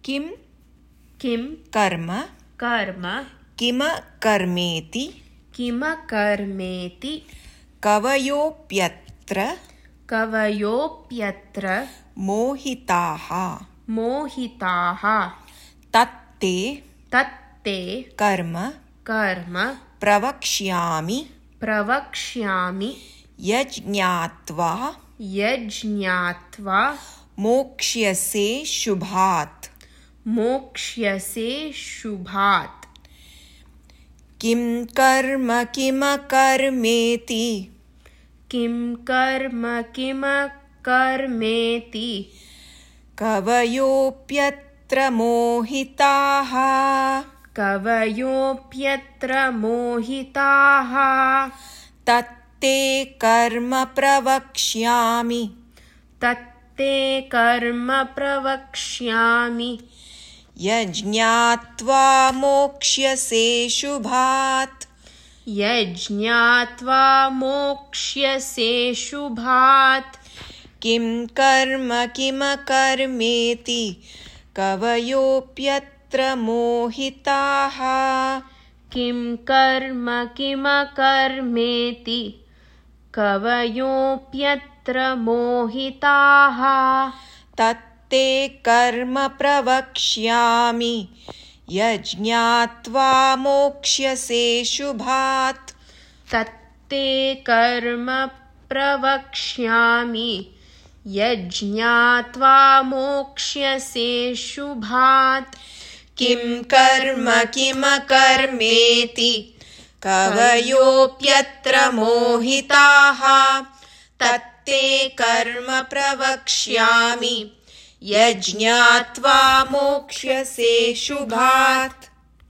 किं किं कर्म कर्म किमकर्मेति किमकर्मेति कवयोऽप्यत्र मोहिताः तत्ते कर्म प्रवक्ष्यामि यज्ञात्वा मोक्ष्यसे शुभात् किं कर्म किमकर्मेति कवयोऽप्यत्र मोहिताः तत्ते कर्म प्रवक्ष्यामि यज्ञात्वा मोक्ष्यसे शुभात् किं कर्म किमकर्मेति कवयोऽप्यत्र मोहिताः तत्ते कर्म प्रवक्ष्यामि यज्ञात्वा मोक्ष्यसे शुभात् किं कर्म किमकर्मेति कवयोऽप्यत्र मोहिताः तत्ते कर्म प्रवक्ष्यामि यज्ञात्वा मोक्ष्यसे शुभात्।